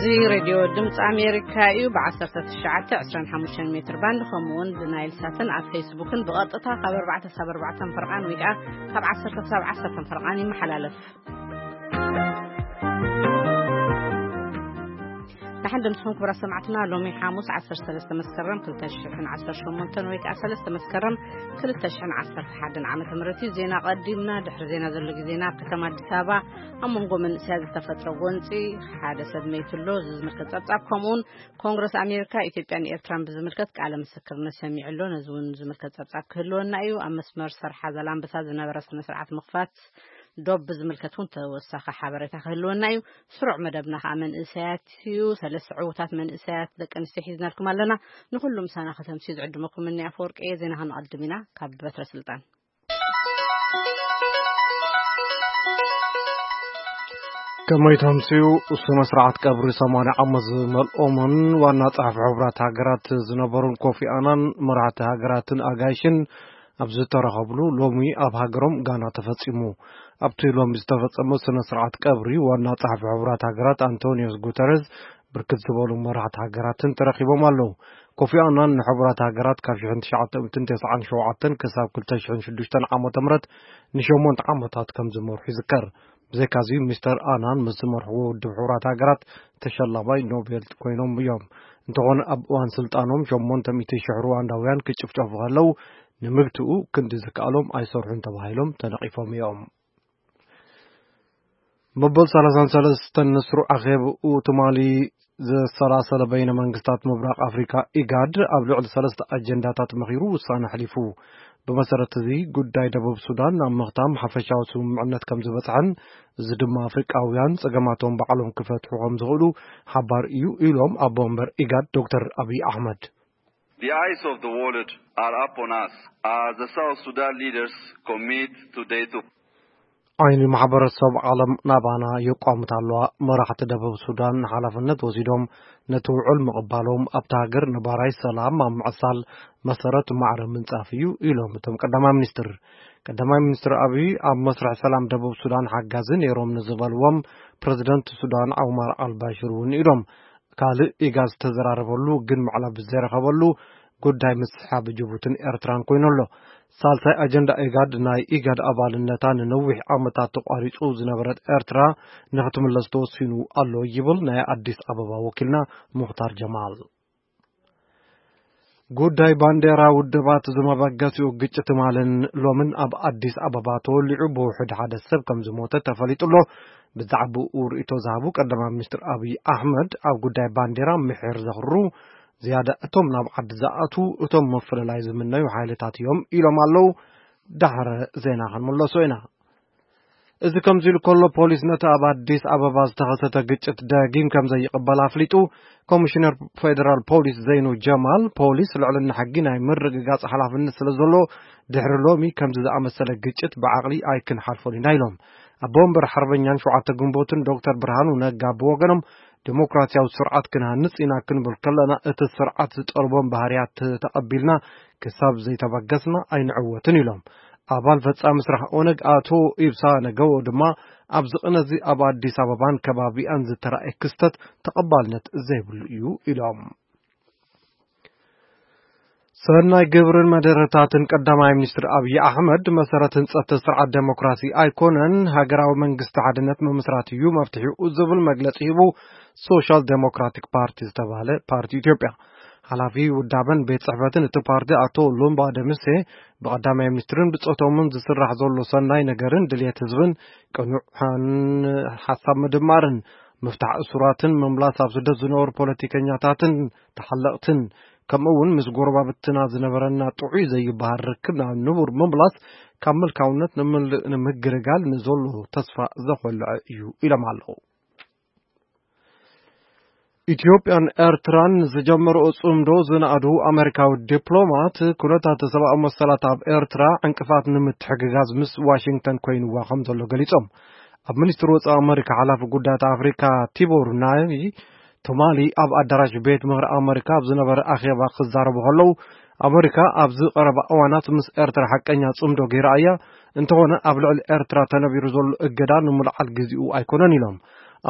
እዚ ሬድዮ ድምፂ ኣሜሪካ እዩ። ብ19፣ 25 ሜትር ባንድ ከምኡውን ብናይል ሳትን ኣብ ፌስቡክን ብቐጥታ ካብ ኣርባዕተ ክሳብ ኣርባዕተ ፈርቓን ወይ ከዓ ካብ ዓሰርተ ክሳብ ዓሰርተ ፈርቓን ይመሓላለፍ። ንሓን ድምፅኹም ክቡራት ሰማዕትና፣ ሎሚ ሓሙስ 13 መስከረም 2018 ወይ ከዓ 3 መስከረም 2011 ዓመተ ምህረት እዩ። ዜና ቀዲምና። ድሕሪ ዜና ዘሎ ግዜና ኣብ ከተማ ኣዲስ ኣበባ ኣብ መንጎ መንእሰያት ዝተፈጥረ ጎንፂ ሓደ ሰብ መይቱ ኣሎ። እዚ ዝምልከት ጸብጻብ ከምኡውን ኮንግረስ ኣሜሪካ ኢትዮጵያን ኤርትራን ብዝምልከት ቃለ ምስክርነት ሰሚዑ ኣሎ። ነዚ እውን ዝምልከት ጸብጻብ ክህልወና እዩ። ኣብ መስመር ሰርሓ ዘላንበሳ ዝነበረ ስነ ስርዓት ምኽፋት ዶብ ብዝምልከት እውን ተወሳኺ ሓበሬታ ክህልወና እዩ። ስሩዕ መደብና ከዓ መንእሰያት እዩ። ሰለስተ ዕዉታት መንእሰያት ደቂ ኣንስትዮ ሒዝናልኩም ኣለና። ንኩሉ ምሳና ከተምስዩ ዝዕድመኩም እኒ ኣፈወርቂ እየ። ዜና ክንቐድም ኢና ካብ በትረ ስልጣን። ከመይ ተምስዩ? ስነ ስርዓት ቀብሪ 80 ዓመት ዝመልኦምን ዋና ጸሓፊ ሕቡራት ሃገራት ዝነበሩን ኮፊ ኣናን መራሕቲ ሃገራትን ኣጋይሽን ኣብ ዝተረኸብሉ ሎሚ ኣብ ሃገሮም ጋና ተፈጺሙ። ኣብቲ ሎሚ ዝተፈጸመ ስነ ስርዓት ቀብሪ ዋና ጸሓፊ ሕቡራት ሃገራት ኣንቶኒዮስ ጉተረዝ ብርክት ዝበሉ መራሕቲ ሃገራትን ተረኺቦም ኣለዉ። ኮፊ ኣናን ንሕቡራት ሃገራት ካብ 1997 ክሳብ 2006 ዓመተ ምህረት ንሸሞንተ ዓመታት ከም ዝመርሑ ይዝከር። ብዘይካዚ ሚስተር ኣናን ምስ ዝመርሕዎ ውድብ ሕቡራት ሃገራት ተሸላማይ ኖቤል ኮይኖም እዮም። እንተኾነ ኣብ እዋን ስልጣኖም 800,000 ሩዋንዳውያን ክጭፍጨፉ ከለዉ ንምግትኡ ክንዲ ዝከኣሎም ኣይሰርሑን ተባሂሎም ተነቒፎም እዮም። መበል 33 ንስሩ ኣኼብኡ ትማሊ ዘሰላሰለ በይነ መንግስታት ምብራቕ ኣፍሪካ ኢጋድ ኣብ ልዕሊ ሰለስተ ኣጀንዳታት መኺሩ ውሳነ ኣሕሊፉ። ብመሰረት እዚ ጉዳይ ደቡብ ሱዳን ኣብ ምኽታም ሓፈሻዊ ስምምዕነት ከም ዝበፅሐን እዚ ድማ ኣፍሪቃውያን ፀገማቶም ባዕሎም ክፈትሑ ከም ዝኽእሉ ሓባር እዩ ኢሎም ኣቦ ወንበር ኢጋድ ዶክተር ኣብይ ኣሕመድ። The eyes of the world are upon us as the South Sudan leaders commit today to ዓይኒ ማሕበረሰብ ዓለም ናባና የቋምት ኣለዋ። መራሕቲ ደቡብ ሱዳን ሓላፍነት ወሲዶም ነቲ ውዕል ምቕባሎም ኣብቲ ሃገር ነባራይ ሰላም ኣብ ምዕሳል መሰረት ማዕረ ምንጻፍ እዩ ኢሎም እቶም ቀዳማይ ሚኒስትር። ቀዳማይ ሚኒስትር ኣብይ ኣብ መስርሕ ሰላም ደቡብ ሱዳን ሓጋዚ ነይሮም ንዝበልዎም ፕረዚደንት ሱዳን ዑማር ኣልባሽር እውን ኢዶም። ካልእ ኢጋድ ዝተዘራረበሉ ግን ምዕላብ ዘይረኸበሉ ጉዳይ ምስሓብ ጅቡትን ኤርትራን ኮይኑ ኣሎ። ሳልሳይ ኣጀንዳ ኢጋድ ናይ ኢጋድ ኣባልነታ ንነዊሕ ዓመታት ተቋሪጹ ዝነበረት ኤርትራ ንክትምለስ ተወሲኑ ኣሎ ይብል ናይ ኣዲስ ኣበባ ወኪልና ሙኽታር ጀማል። ጉዳይ ባንዴራ ውድባት ዝመበገሲኡ ግጭት ትማልን ሎምን ኣብ ኣዲስ ኣበባ ተወሊዑ ብውሕድ ሓደ ሰብ ከም ዝሞተ ተፈሊጡ ኣሎ። ብዛዕባኡ ርእይቶ ዝሃቡ ቀዳማይ ሚኒስትር ኣብይ ኣሕመድ ኣብ ጉዳይ ባንዴራ ምሒር ዘኽሩ ዝያዳ እቶም ናብ ዓዲ ዝኣትዉ እቶም ምፍልላይ ዝምነዩ ሓይልታት እዮም ኢሎም ኣለዉ። ዳሕረ ዜና ክንምለሶ ኢና። እዚ ከምዚ ኢሉ ከሎ ፖሊስ ነቲ ኣብ ኣዲስ ኣበባ ዝተኸሰተ ግጭት ደጊም ከም ዘይቕበል ኣፍሊጡ። ኮሚሽነር ፌደራል ፖሊስ ዘይኑ ጀማል ፖሊስ ልዕልና ሕጊ ናይ ምርግጋጽ ሓላፍነት ስለ ዘሎ ድሕሪ ሎሚ ከምዚ ዝኣመሰለ ግጭት ብዓቕሊ ኣይክንሓልፎን ኢና ኢሎም። ኣቦ ወንበር ሓርበኛን ሸውዓተ ግንቦትን ዶክተር ብርሃኑ ነጋ ብወገኖም ዲሞክራሲያዊ ስርዓት ክንሃንጽ ኢና ክንብል ከለና እቲ ስርዓት ዝጠልቦም ባህርያት ተቐቢልና ክሳብ ዘይተበገስና ኣይንዕወትን ኢሎም። ኣባል ፈጻሚ ስራሕ ኦነግ ኣቶ ኢብሳ ነገዎ ድማ ኣብዚ ቅነዚ ኣብ ኣዲስ ኣበባን ከባቢኣን ዝተራእየ ክስተት ተቐባልነት ዘይብሉ እዩ ኢሎም። ሰናይ ግብርን መደረታትን ቀዳማይ ሚኒስትር ኣብይ ኣሕመድ መሰረት ህንጸት ስርዓት ዴሞክራሲ ኣይኮነን፣ ሃገራዊ መንግስቲ ሓድነት ምምስራት እዩ መፍትሒኡ ዝብል መግለጺ ሂቡ። ሶሻል ዴሞክራቲክ ፓርቲ ዝተባህለ ፓርቲ ኢትዮጵያ ሓላፊ ውዳበን ቤት ጽሕፈትን እቲ ፓርቲ ኣቶ ሉምባ ደምሴ ብቐዳማይ ሚኒስትርን ብጾቶምን ዝስራሕ ዘሎ ሰናይ ነገርን ድልየት ህዝብን ቅኑዕን ሓሳብ ምድማርን ምፍታሕ እሱራትን ምምላስ ኣብ ስደት ዝነበሩ ፖለቲከኛታትን ተሓለቕትን ከምኡ እውን ምስ ጎረባብትና ዝነበረና ጥዑይ ዘይበሃል ርክብ ናብ ንቡር ምምላስ ካብ ምልካውነት ንምል- ንምግልጋል ንዘሎ ተስፋ ዘኾልዐ እዩ ኢሎም ኣለዉ። ኢትዮጵያን ኤርትራን ዝጀመረኦ ጽምዶ ዝነኣዱ ኣሜሪካዊ ዲፕሎማት ኩነታት ሰብኣዊ መሰላት ኣብ ኤርትራ ዕንቅፋት ንምትሕግጋዝ ምስ ዋሽንግተን ኮይንዋ ከም ዘሎ ገሊጾም። ኣብ ሚኒስትሪ ወጻኢ ኣሜሪካ ሓላፊ ጉዳያት ኣፍሪካ ቲቦር ናይ ትማሊ ኣብ ኣዳራሽ ቤት ምኽሪ ኣመሪካ ኣብ ዝነበረ ኣኼባ ክዛረቡ ከለዉ ኣመሪካ ኣብዚ ቀረባ እዋናት ምስ ኤርትራ ሓቀኛ ጽምዶ ገይራ እያ፣ እንተኾነ ኣብ ልዕሊ ኤርትራ ተነቢሩ ዘሎ እገዳ ንምልዓል ግዜኡ ኣይኮነን ኢሎም።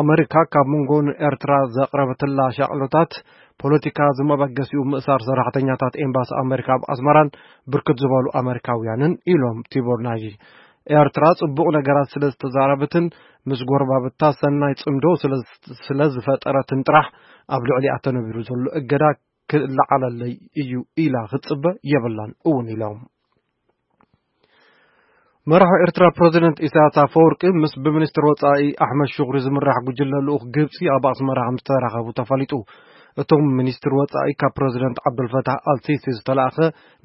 ኣመሪካ ካብ መንጎ ንኤርትራ ዘቕረበትላ ሻቕሎታት ፖለቲካ ዝመበገሲኡ ምእሳር ሰራሕተኛታት ኤምባሲ ኣመሪካ ኣብ ኣስመራን ብርክት ዝበሉ ኣመሪካውያንን ኢሎም ቲቦር ናጂ። ኤርትራ ጽቡቕ ነገራት ስለ ዝተዛረበትን ምስ ጎረባብታ ሰናይ ጽምዶ ስለ፣ ስለ ዝፈጠረትን ጥራሕ ኣብ ልዕሊኣ ተነቢሩ ዘሎ እገዳ ክለዓለለይ እዩ ኢላ ክትጽበ የብላን እውን ኢሎም። መራሒ ኤርትራ ፕረዚደንት ኢሳያስ ኣፈወርቂ ምስ ብሚኒስትር ወጻኢ ኣሕመድ ሹክሪ ዝምራሕ ጉጅለ ልኡኽ ግብጺ ኣብ ኣስመራ ከም ዝተራኸቡ ተፈሊጡ። እቶም ሚኒስትር ወጻኢ ካብ ፕረዚደንት ዓብዱልፈታሕ ኣልሲሲ ዝተላእኸ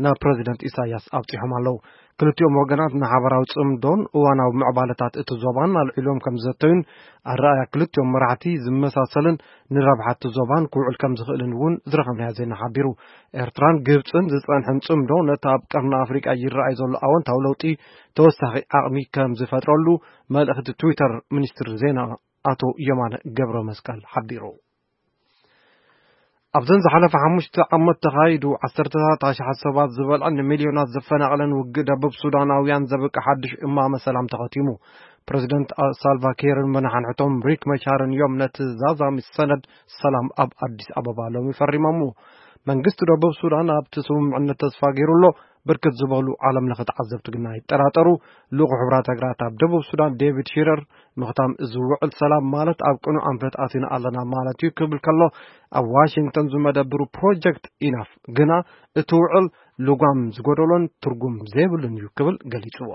ናብ ፕረዚደንት ኢሳያስ ኣብጺሖም ኣለዉ። ክልቲኦም ወገናት ንሓበራዊ ጽምዶን እዋናዊ ምዕባለታት እቲ ዞባን ኣልዒሎም ከም ዝዘተዩን ኣረኣያ ክልቲኦም መራሕቲ ዝመሳሰልን ንረብሓ እቲ ዞባን ክውዕል ከም ዝኽእልን እውን ዝረኸብናዮ ዜና ሓቢሩ። ኤርትራን ግብጽን ዝጸንሐን ጽምዶ ነቲ ኣብ ቀርኒ ኣፍሪቃ ይረኣይ ዘሎ ኣወንታዊ ለውጢ ተወሳኺ ዓቕሚ ከም ዝፈጥረሉ መልእኽቲ ትዊተር ሚኒስትር ዜና ኣቶ የማነ ገብረ መስቀል ሓቢሩ። ኣብዘን ዝሓለፈ ሓሙሽተ ዓመት ተኻይዱ ዓሰርተታት ኣሽሓት ሰባት ዝበልዐን ንሚልዮናት ዘፈናቐለን ውግእ ደቡብ ሱዳናውያን ዘብቅዕ ሓድሽ እማመ ሰላም ተኸቲሙ። ፕረዚደንት ሳልቫ ኪርን መናሓንሕቶም ሪክ መቻርን እዮም ነቲ ዛዛሚ ሰነድ ሰላም ኣብ ኣዲስ ኣበባ ሎሚ ፈሪሞምዎ። መንግስቲ ደቡብ ሱዳን ኣብቲ ስምምዕነት ተስፋ ገይሩ ኣሎ። ብርክት ዝበሉ ዓለም ለኸ ተዓዘብቲ ግና ይጠራጠሩ። ልኡኹ ሕብራት ሃገራት ኣብ ደቡብ ሱዳን ዴቪድ ሺረር ምኽታም እዚ ውዕል ሰላም ማለት ኣብ ቅኑዕ ኣንፈት ኣቲና ኣለና ማለት እዩ ክብል ከሎ፣ ኣብ ዋሽንግተን ዝመደብሩ ፕሮጀክት ኢናፍ ግና እቲ ውዕል ልጓም ዝጎደሎን ትርጉም ዘይብሉን እዩ ክብል ገሊጽዎ።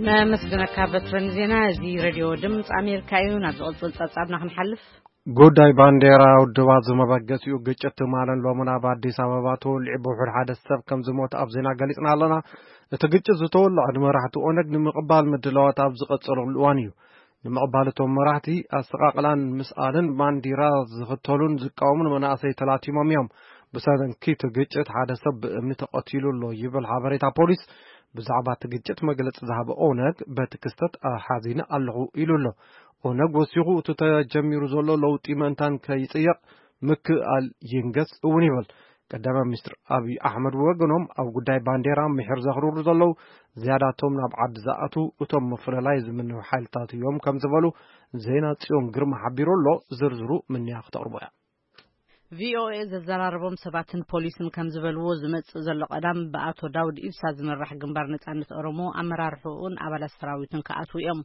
ነመስግነካ በትረን ዜና። እዚ ሬድዮ ድምፂ ኣሜሪካ እዩ። ናብ ዝቕፅል ፀብፃብና ክንሓልፍ። ጉዳይ ባንዴራ ውድባት ዝመበገሲኡ ግጭት ትማልን ሎምን ኣብ ኣዲስ ኣበባ ተወሊዑ ብውሑድ ሓደ ሰብ ከም ዝሞት ኣብ ዜና ገሊጽና ኣለና። እቲ ግጭት ዝተወልዐ ንመራሕቲ ኦነግ ንምቕባል ምድላዋት ኣብ ዝቐጸለሉ እዋን እዩ። ንምቕባል እቶም መራሕቲ ኣስተቓቕላን ምስኣልን ባንዲራ ዝኽተሉን ዝቃወሙን መናእሰይ ተላቲሞም እዮም። ብሰንኪ እቲ ግጭት ሓደ ሰብ ብእምኒ ተቐቲሉ ኣሎ ይብል ሓበሬታ ፖሊስ። ብዛዕባ እቲ ግጭት መግለጺ ዝሃበ ኦነግ በቲ ክስተት ሓዚነ ኣለኹ ኢሉ ኣሎ። ኦነግ ወሲኹ እቲ ተጀሚሩ ዘሎ ለውጢ ምእንታን ከይጽየቕ ምክእኣል ይንገስ እውን ይብል። ቀዳማይ ሚኒስትር ኣብይ ኣሕመድ ወገኖም ኣብ ጉዳይ ባንዴራ ምሒር ዘኽርሩ ዘለዉ ዝያዳቶም ናብ ዓዲ ዝኣትዉ እቶም ምፍልላይ ዝምንዩ ሓይልታት እዮም ከም ዝበሉ ዜና ጽዮን ግርማ ሓቢሩ ኣሎ። ዝርዝሩ ምንያ ክተቕርቦ እያ። ቪኦኤ ዘዘራረቦም ሰባትን ፖሊስን ከም ዝበልዎ ዝመጽእ ዘሎ ቀዳም ብኣቶ ዳውድ ኢብሳ ዝምራሕ ግንባር ነጻነት ኦሮሞ ኣመራርሕኡን ኣባላት ሰራዊቱን ክኣትዉ እዮም።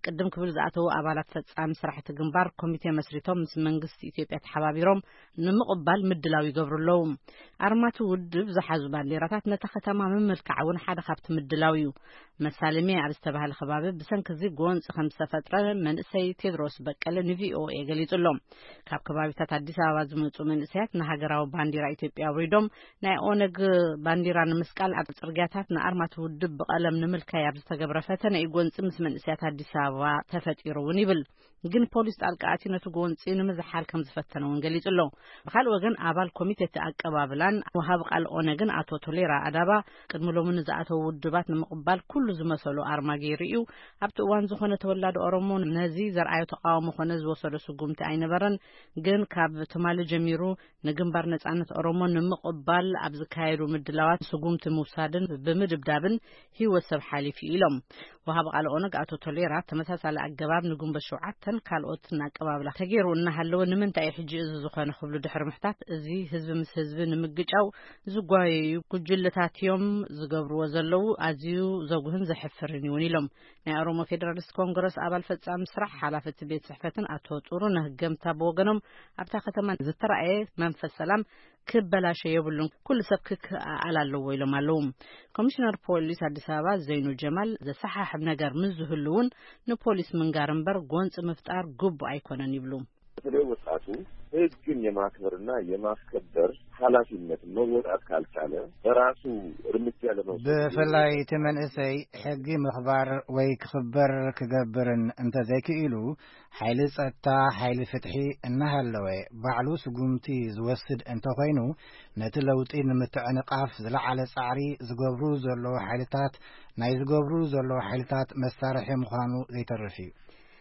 ቅድም ክብል ዝኣተዉ ኣባላት ፈጻሚ ስራሕቲ ግንባር ኮሚቴ መስሪቶም ምስ መንግስቲ ኢትዮጵያ ተሓባቢሮም ንምቕባል ምድላው ይገብሩ ኣለዉ። ኣርማቲ ውድብ ዝሓዙ ባንዴራታት ነታ ከተማ ምምልካዕ እውን ሓደ ካብቲ ምድላው እዩ። መሳለምየ ኣብ ዝተባህለ ከባቢ ብሰንኪ እዚ ጎንፂ ከም ዝተፈጥረ መንእሰይ ቴድሮስ በቀለ ንቪኦኤ ገሊጹ ኣሎ። ካብ ከባቢታት ኣዲስ ኣበባ ዝመጹ መንእሰያት ንሃገራዊ ባንዲራ ኢትዮጵያ ኣውሪዶም ናይ ኦነግ ባንዲራ ንምስቃል ኣብ ጽርግያታት ንኣርማቲ ውድብ ብቐለም ንምልካይ ኣብ ዝተገብረ ፈተነ እዩ ጎንፂ ምስ መንእሰያት ኣዲስ ኣበባ ተፈጢሩ እውን ይብል። ግን ፖሊስ ጣልቃ ኣትዩ ነቲ ጎንፂ ንምዝሓል ከም ዝፈተነ እውን ገሊጹ ኣሎ። ብኻልእ ወገን ኣባል ኮሚቴ እቲ ኣቀባብላን ወሃቢ ቃል ኦነግን ኣቶ ቶሌራ ኣዳባ ቅድሚ ሎሚ ንዝኣተዉ ውድባት ንምቕባል ኩሉ ዝመሰሉ ኣርማ ገይሩ እዩ። ኣብቲ እዋን ዝኾነ ተወላዲ ኦሮሞ ነዚ ዘርኣዮ ተቃውሞ ኮነ ዝወሰዶ ስጉምቲ ኣይነበረን። ግን ካብ ትማሊ ጀሚሩ ንግንባር ነጻነት ኦሮሞ ንምቕባል ኣብ ዝካየዱ ምድላዋት ስጉምቲ ምውሳድን ብምድብዳብን ህይወት ሰብ ሓሊፉ ኢሎም። ወሃቢ ቃል ኦነግ ኣቶ ቶሌራ ተመሳሳሊ ኣገባብ ንግንቦት ሸውዓተን ካልኦትን ኣቀባብላ ተገይሩ እናሃለወ ንምንታይ እዩ ሕጂ እዚ ዝኾነ ክብሉ ድሕሪ ምሕታት፣ እዚ ህዝቢ ምስ ህዝቢ ንምግጫው ዝጓየዩ ጉጅለታት እዮም ዝገብርዎ ዘለዉ፣ ኣዝዩ ዘጉህን ዘሕፍርን እውን ኢሎም። ናይ ኦሮሞ ፌዴራሊስት ኮንግረስ ኣባል ፈጻሚ ስራሕ ሓላፊ እቲ ቤት ጽሕፈትን ኣቶ ጥሩነህ ገምታ ብወገኖም ኣብታ ከተማ ዝተራእየ መንፈስ ሰላም ክበላሸ የብሉን፣ ኩሉ ሰብ ክከኣል ኣለዎ ኢሎም ኣለዉ። ኮሚሽነር ፖሊስ ኣዲስ ኣበባ ዘይኑ ጀማል ዘሰሓሕብ ነገር ምስ ዝህሉ እውን ንፖሊስ ምንጋር እምበር ጎንፂ ምፍጣር ግቡእ ኣይኮነን ይብሉ። በተለይ ወጣቱ ህግን የማክበርና የማስከበር ኃላፊነት መወጣት ካልቻለ በራሱ እርምጃ ለመውሰድ ብፍላይ እቲ መንእሰይ ሕጊ ምኽባር ወይ ክኽበር ክገብርን እንተዘይክኢሉ፣ ሓይሊ ጸጥታ፣ ሓይሊ ፍትሒ እናሃለወ ባዕሉ ስጉምቲ ዝወስድ እንተኾይኑ፣ ነቲ ለውጢ ንምትዕንቃፍ ዝለዓለ ጻዕሪ ዝገብሩ ዘለዉ ሓይልታት፣ ናይ ዝገብሩ ዘለዉ ሓይልታት መሳርሒ ምዃኑ ዘይተርፍ እዩ።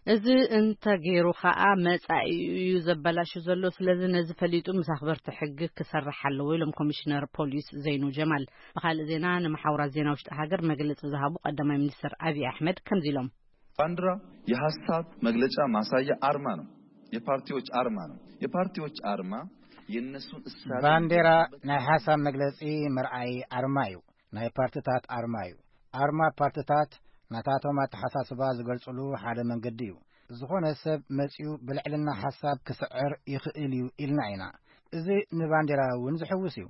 እዚ እንተገይሩ ከኣ መጻኢኡ እዩ ዘበላሹ ዘሎ። ስለዚ ነዚ ፈሊጡ ምስ ኣኽበርቲ ሕጊ ክሰርሕ ኣለዎ ኢሎም ኮሚሽነር ፖሊስ ዘይኑ ጀማል። ብኻልእ ዜና፣ ንመሓውራት ዜና ውሽጢ ሃገር መግለጺ ዝሃቡ ቀዳማይ ሚኒስትር ኣብይ ኣሕመድ ከምዚ ኢሎም። ባንዲራ የሐሳብ መግለጫ ማሳያ አርማ ነው። የፓርቲዎች አርማ ነው። የፓርቲዎች አርማ የእነሱን እሳቤ ባንዲራ ናይ ሓሳብ መግለጺ መርኣይ ኣርማ እዩ። ናይ ፓርትታት ኣርማ እዩ። ኣርማ ፓርትታት ናታቶም ኣተሓሳስባ ዝገልጽሉ ሓደ መንገዲ እዩ። ዝኾነ ሰብ መጺኡ ብልዕልና ሓሳብ ክስዕር ይኽእል እዩ ኢልና ኢና። እዚ ንባንዲራ እውን ዝሕውስ እዩ።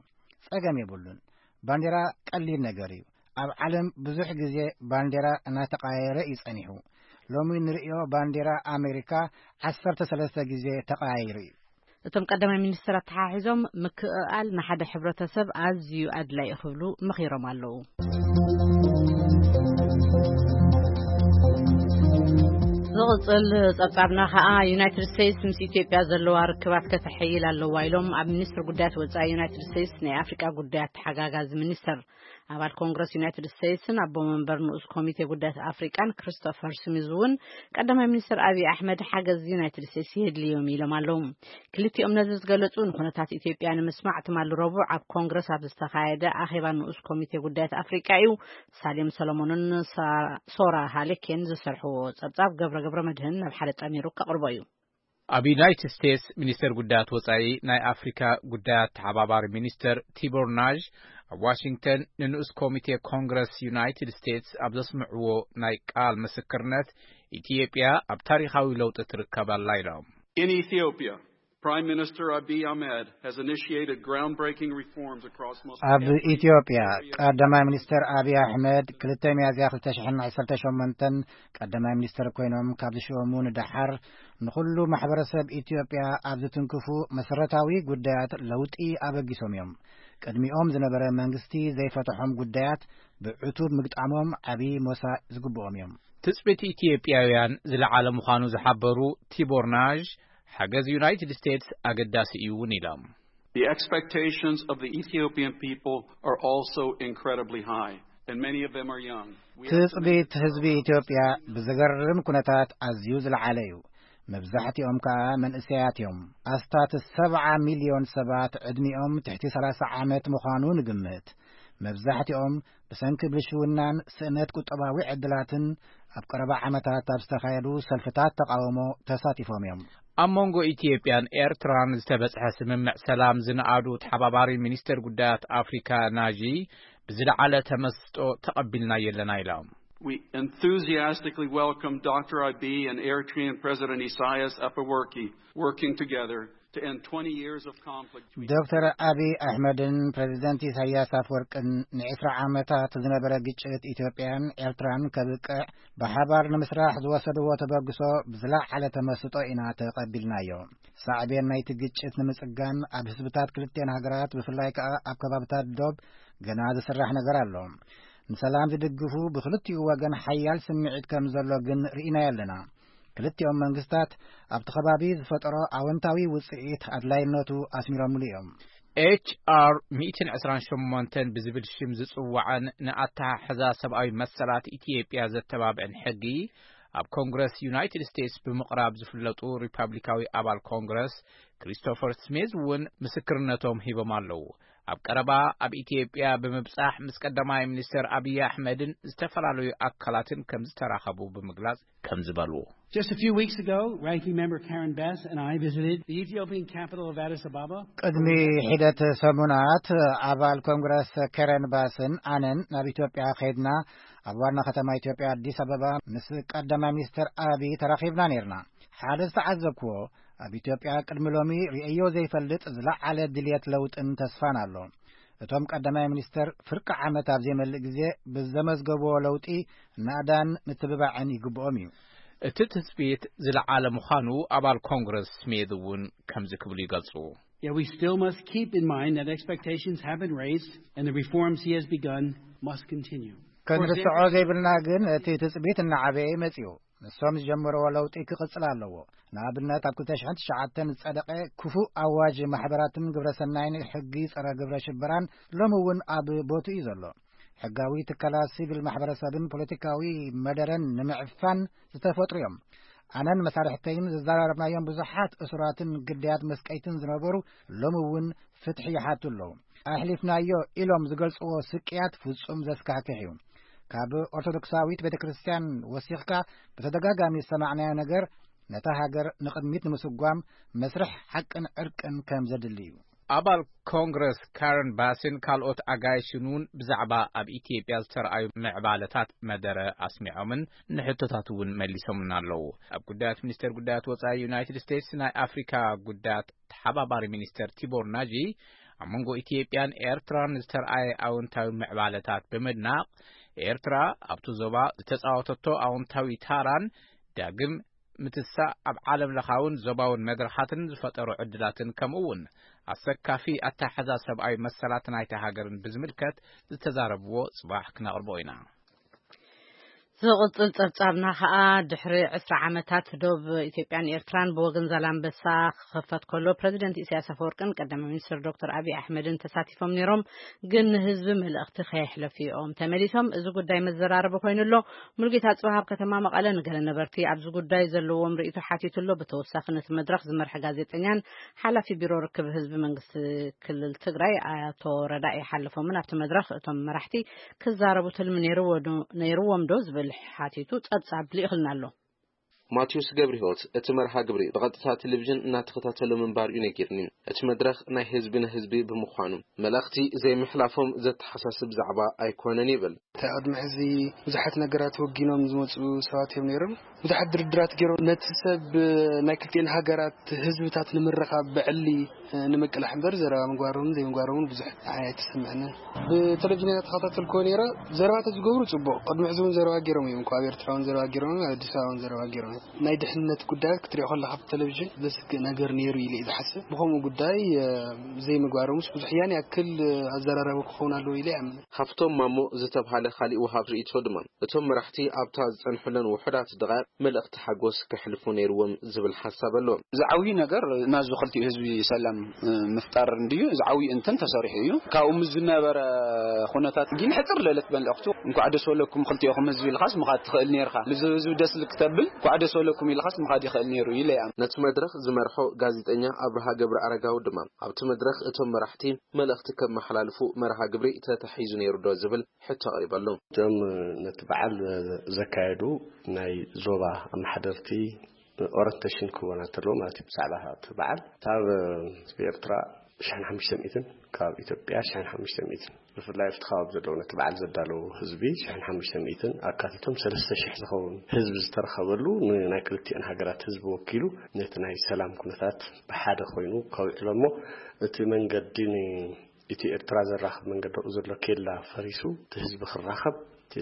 ጸገም የብሉን። ባንዲራ ቀሊል ነገር እዩ። ኣብ ዓለም ብዙሕ ግዜ ባንዲራ እናተቐያየረ እዩ ጸኒሑ። ሎሚ ንርእዮ ባንዲራ ኣሜሪካ ዓሰርተ ሰለስተ ግዜ ተቐያይሩ እዩ። እቶም ቀዳማይ ሚኒስትር ኣተሓሒዞም፣ ምክእኣል ንሓደ ሕብረተሰብ ኣዝዩ ኣድላዪ ክብሉ መኺሮም ኣለዉ። ዝቕጽል ጸብጻብና ከኣ፣ ዩናይትድ ስቴትስ ምስ ኢትዮጵያ ዘለዋ ርክባት ከተሐይል ኣለዋ ኢሎም ኣብ ሚኒስትር ጉዳያት ወጻኢ ዩናይትድ ስቴትስ ናይ ኣፍሪቃ ጉዳያት ተሓጋጋዚ ሚኒስትር፣ ኣባል ኮንግረስ ዩናይትድ ስቴትስን ኣቦ መንበር ንኡስ ኮሚቴ ጉዳያት ኣፍሪቃን ክሪስቶፈር ስሚዝ እውን ቀዳማይ ሚኒስትር ኣብይ ኣሕመድ ሓገዝ ዩናይትድ ስቴትስ የድልዮም ኢሎም ኣለዉ። ክልቲኦም ነዚ ዝገለጹ፣ ንኩነታት ኢትዮጵያ ንምስማዕ ትማሊ ረቡዕ ኣብ ኮንግረስ ኣብ ዝተኻየደ ኣኼባ ንኡስ ኮሚቴ ጉዳያት ኣፍሪቃ እዩ። ሳሌም ሰሎሞንን ሳ-፣ ሶራ ሃሌኬን ዝሰርሕዎ ጸብጻብ ገብረ ገብረ መድህን ናብ ሓደ ጠሚሩ ከቕርቦ እዩ። ኣብ ዩናይትድ ስቴትስ ሚኒስተር ጉዳያት ወጻኢ ናይ ኣፍሪካ ጉዳያት ተሓባባሪ ሚኒስተር ቲቦር ናዥ ኣብ ዋሽንግተን ንንኡስ ኮሚቴ ኮንግረስ ዩናይትድ ስቴትስ ኣብ ዘስምዕዎ ናይ ቃል ምስክርነት፣ ኢትዮጵያ ኣብ ታሪኻዊ ለውጢ ትርከብ ኣላ ኢሎም። In Ethiopia, Prime Minister Abiy Ahmed has initiated groundbreaking reforms across most ኣብ ኢትዮጵያ ቀዳማይ ሚኒስተር ኣብይ ኣሕመድ ክልተ ሚያዝያ ክልተ ሽሕን ዓሰርተ ሸሞንተን ቀዳማይ ሚኒስተር ኮይኖም ካብ ዝሽወሙ ንደሓር፣ ንኹሉ ማሕበረሰብ ኢትዮጵያ ኣብ ዝትንክፉ መሰረታዊ ጉዳያት ለውጢ ኣበጊሶም እዮም። ቅድሚኦም ዝነበረ መንግስቲ ዘይፈትሖም ጉዳያት ብዕቱብ ምግጣሞም ዓብዪ ሞሳ ዝግብኦም እዮም። ትጽቢት ኢትዮጵያውያን ዝለዓለ ምዃኑ ዝሓበሩ ቲቦር ናዥ፣ ሓገዝ ዩናይትድ ስቴትስ ኣገዳሲ እዩ እውን ኢሎም። The expectations of the Ethiopian people are also incredibly high, and many of them are young. We ትጽቢት ህዝቢ ኢትዮጵያ ብዘገርም ኩነታት ኣዝዩ ዝለዓለ እዩ። መብዛሕትኦም ከኣ መንእሰያት እዮም። ኣስታት ሰብዓ ሚልዮን ሰባት ዕድሚኦም ትሕቲ ሰላሳ ዓመት ምዃኑ ንግምት። መብዛሕትኦም ብሰንኪ ብልሽውናን ስእነት ቁጠባዊ ዕድላትን ኣብ ቀረባ ዓመታት ኣብ ዝተኻየዱ ሰልፍታት ተቓውሞ ተሳቲፎም እዮም። ኣብ መንጎ ኢትዮጵያን ኤርትራን ዝተበጽሐ ስምምዕ ሰላም ዝነኣዱ ተሓባባሪ ሚኒስተር ጉዳያት ኣፍሪካ ናጂ፣ ብዝለዓለ ተመስጦ ተቐቢልናዮ ኣለና ኢሎም። We enthusiastically welcome Doctor Abiy and Eritrean President Isaias Afewerki working together to end twenty years of conflict between ዶክተር ኣብይ ኣሕመድን ፕሬዚደንት ኢሳያስ ኣፍወርቅን ንዕስራ ዓመታት ዝነበረ ግጭት ኢትዮጵያን ኤርትራን ከብቅዕ ብሓባር ንምስራሕ ዝወሰድዎ ተበግሶ ብዝለዓለ ተመስጦ ኢና ተቐቢልናዮ። ሳዕቤን ናይቲ ግጭት ንምጽጋን ኣብ ህዝብታት ክልቲኤን ሃገራት ብፍላይ ከኣ ኣብ ከባብታት ዶብ ገና ዝስራሕ ነገር ኣሎ። ንሰላም ዝድግፉ ብክልቲኡ ወገን ሓያል ስምዒት ከም ዘሎ ግን ርኢናዮ ኣለና። ክልቲኦም መንግስታት ኣብቲ ከባቢ ዝፈጠሮ ኣወንታዊ ውጽኢት ኣድላይነቱ ኣስሚሮምሉ እዮም። ኤች ኣር ሚእትን ዕስራን ሸሞንተን ብዝብል ሽም ዝጽዋዕን ንኣተሓሕዛ ሰብኣዊ መሰላት ኢትዮጵያ ዘተባብዕን ሕጊ ኣብ ኮንግረስ ዩናይትድ ስቴትስ ብምቕራብ ዝፍለጡ ሪፓብሊካዊ ኣባል ኮንግረስ ክሪስቶፈር ስሚዝ እውን ምስክርነቶም ሂቦም ኣለዉ። ኣብ ቀረባ ኣብ ኢትዮጵያ ብምብጻሕ ምስ ቀዳማይ ሚኒስተር ኣብይ ኣሕመድን ዝተፈላለዩ ኣካላትን ከም ዝተራኸቡ ብምግላጽ ከም ዝበሉ። Just a few weeks ago, Ranking Member Karen Bass and I visited the Ethiopian capital of Addis Ababa. ቅድሚ ሒደት ሰሙናት ኣባል ኮንግረስ ከረን ባስን ኣነን ናብ ኢትዮጵያ ከይድና፣ ኣብ ዋና ከተማ ኢትዮጵያ ኣዲስ ኣበባ ምስ ቀዳማይ ሚኒስተር ኣብይ ተራኺብና ነይርና። ሓደ ዝተዓዘብክዎ፣ ኣብ ኢትዮጵያ ቅድሚ ሎሚ ርእዮ ዘይፈልጥ ዝለዓለ ድልየት ለውጥን ተስፋን ኣሎ። እቶም ቀዳማይ ሚኒስተር ፍርቂ ዓመት ኣብ ዘይመልእ ግዜ ብዘመዝገብዎ ለውጢ ናእዳን ምትብባዕን ይግብኦም እዩ። እቲ ትጽቢት ዝለዓለ ምዃኑ ኣባል ኮንግረስ ስሚዝ እውን ከምዚ ክብሉ ይገልጹ። Yet we still must keep in mind that expectations have been raised and the reforms he has begun must continue. For ክንርስዖ example, ዘይብልና ግን እቲ ትጽቢት እናዓበየ መጺኡ። ንሶም ዝጀመርዎ ለውጢ ክቕጽል ኣለዎ። ንኣብነት ኣብ ክልተ ሽሕን ትሽዓተን ዝጸደቐ ክፉእ ኣዋጅ ማሕበራትን ግብረሰናይን ሕጊ ጸረ ግብረ ሽበራን ሎሚ እውን ኣብ ቦትኡ እዩ ዘሎ። ሕጋዊ ትካላት ሲቪል ማሕበረሰብን ፖለቲካዊ መደረን ንምዕፋን ዝተፈጥሩ እዮም። ኣነን መሳርሕተይን ዘዘራረብናዮም ብዙሓት እሱራትን ግዳያት መስቀይትን ዝነበሩ ሎሚ እውን ፍትሒ ይሓቱ ኣለዉ። ኣሕሊፍናዮ ኢሎም ዝገልጽዎ ስቅያት ፍጹም ዘስካሕክሕ እዩ። ካብ ኦርቶዶክሳዊት ቤተ ክርስቲያን ወሲኽካ ብተደጋጋሚ ዝሰማዕናዮ ነገር ነታ ሃገር ንቕድሚት ንምስጓም መስርሕ ሓቅን ዕርቅን ከም ዘድሊ እዩ። ኣባል ኮንግረስ ካረን ባስን ካልኦት ኣጋይሽን እውን ብዛዕባ ኣብ ኢትዮጵያ ዝተረኣዩ ምዕባለታት መደረ ኣስሚዖምን ንሕቶታት እውን መሊሶምን ኣለዉ። ኣብ ጉዳያት ሚኒስቴር ጉዳያት ወጻኢ ዩናይትድ ስቴትስ ናይ ኣፍሪካ ጉዳያት ተሓባባሪ ሚኒስተር ቲቦር ናጂ ኣብ መንጎ ኢትዮጵያን ኤርትራን ዝተረኣየ ኣወንታዊ ምዕባለታት ብምድናቕ፣ ኤርትራ ኣብቲ ዞባ ዝተጻወተቶ ኣወንታዊ ታራን ዳግም ምትሳእ ኣብ ዓለም ለኻውን ዞባውን መድረኻትን ዝፈጠሮ ዕድላትን ከምኡ እውን ኣሰካፊ ኣተሓሕዛ ሰብኣዊ መሰላት ናይታ ሃገርን ብዝምልከት ዝተዛረብዎ ጽባሕ ክነቕርቦ ኢና። ዝቕጽል ጸብጻብና ኸኣ ድሕሪ ዕስራ ዓመታት ዶብ ኢትዮጵያን ኤርትራን ብወገን ዛላምበሳ ክኽፈት ከሎ ፕረዚደንት ኢሳያስ ኣፈወርቅን ቀዳማይ ሚኒስትር ዶክተር ኣብይ ኣሕመድን ተሳቲፎም ነይሮም፣ ግን ንህዝቢ መልእኽቲ ከየሕለፉ እዮም ተመሊሶም። እዚ ጉዳይ መዘራረቢ ኮይኑ ኣሎ። ሙሉጌታ ጽባህ ኣብ ከተማ መቐለ ንገለ ነበርቲ ኣብዚ ጉዳይ ዘለዎም ርእይቶ ሓቲቱ ኣሎ። ብተወሳኺ ነቲ መድረኽ ዝመርሐ ጋዜጠኛን ሓላፊ ቢሮ ርክብ ህዝቢ መንግስቲ ክልል ትግራይ ኣቶ ረዳኢ ሓለፎምን ኣብቲ መድረኽ እቶም መራሕቲ ክዛረቡ ትልሚ ነይርዎ ዶ-፣ ነይርዎም ዶ ዝብል ሓቲቱ ጸብጻብ ልኢኽልና ኣሎ። ማቴዎስ ገብረህይወት እቲ መርሃ ግብሪ ብቐጥታ ቴሌቪዥን እናተኸታተሎ ምንባር እዩ ነጊርኒ። እቲ መድረኽ ናይ ህዝቢ ንህዝቢ ብምዃኑ መልእኽቲ ዘይምሕላፎም ዘተሓሳስብ ዛዕባ ኣይኮነን ይብል። እቲ ቅድሚ ሕዚ ብዙሓት ነገራት ወጊኖም ዝመፁ ሰባት እዮም ነይሮም። ብዙሓት ድርድራት ገይሮም ነቲ ሰብ ናይ ክልቲኤን ሃገራት ህዝብታት ንምርኻብ ብዕሊ ንምቅላሕ እምበር ዘረባ ምግባሮምን ዘይምግባሮምን ብዙሕ ንዓይ ኣይተሰምዐንን። ብቴሌቪዥን እየ ተኸታተልክዎ ነይረ። ዘረባ ተዝገብሩ ጽቡቕ። ቅድሚ ሕዚ እውን ዘረባ ገይሮም እዮም እኮ። ኣብ ኤርትራ እውን ዘረባ ገይሮም እዮም፣ ኣብ ኣዲስ ኣበባ እውን ዘረባ ገይሮም እዮም። ናይ ድሕንነት ጉዳያት ክትሪኦ ከለኻ ኣብ ቴሌቪዥን ዘስግእ ነገር ነይሩ ኢለ እየ ዝሓስብ። ብኸምኡ ጉዳይ፣ እ፣ ዘይምግባሮምስ ብዙሕ ያን ያክል፣ እ፣ ኣዘራራቢ ክኸውን ኣለዎ ኢለ ይኣምን። ሃፍቶም ማሞ ዝተብሃለ ካሊእ ወሃብ ርእይቶ ድማ፣ እቶም መራሕቲ ኣብታ ዝጸንሕለን ውሑዳት ደቓይቕ መልእኽቲ ሓጎስ ከሕልፉ ነይርዎም ዝብል ሓሳብ ኣለዎም። ዝዓብዩ ነገር ናዙ ክልቲኡ ህዝቢ ሰላም፣ እ፣ ምፍጣር እንድዩ። ዝዓብዩ እንትን ተሰሪሑ እዩ። ካብኡ ምስ ዝነበረ ኩነታት ግን ሕጽር ለለት መልእኽቱ፣ "እንኳዕ ደስ በለኩም ክልቲኦኹም ህዝቢ" ኢልኻስ ምኻድ ትኽእል ነይርኻ። ንዚ ህዝቢ ደስ ልክተብል "እንኳዕ ደስ በለኩም" ኢልኻስ ምኻድ ይኽእል ነይሩ ኢለ እያ። ነቲ መድረኽ ዝመርሖ ጋዜጠኛ ኣብርሃ ገብረ ኣረጋዊ ድማ፣ ኣብቲ መድረኽ እቶም መራሕቲ መልእኽቲ ከመሓላልፉ መርሃ ግብሪ ተታሒዙ ነይሩ ዶ ዝብል ሕቶ ኣቕሪበሉ። እቶም ነቲ በዓል ዘካየዱ ናይ ዞባ ኣመሓደርቲ ኦረንቴሽን ክህቦና እንተለዉ ማለት እዩ። ብዛዕባ እቲ በዓል፣ እታ ኣብ ኤርትራ ሽሕን ሓሙሽተ ሚእትን፣ ካብ ኢትዮጵያ ሽሕን ሓሙሽተ ሚእትን፣ ብፍላይ ኣብቲ ከባቢ ዘለዉ ነቲ በዓል ዘዳለዉ ህዝቢ ሽሕን ሓሙሽተ ሚእትን ኣካቲቶም ሰለስተ ሽሕ ዝኸውን ህዝቢ ዝተረኸበሉ፣ ንናይ ክልቲኤን ሃገራት ህዝቢ ወኪሉ ነቲ ናይ ሰላም ኩነታት ብሓደ ኮይኑ ከውዕሎ እሞ፣ እቲ መንገዲ ን ኢትዮ ኤርትራ ዘራኽብ መንገዲ ኣብኡ ዘሎ ኬላ ፈሪሱ፣ እቲ ህዝቢ ክራኸብ፣ እቲ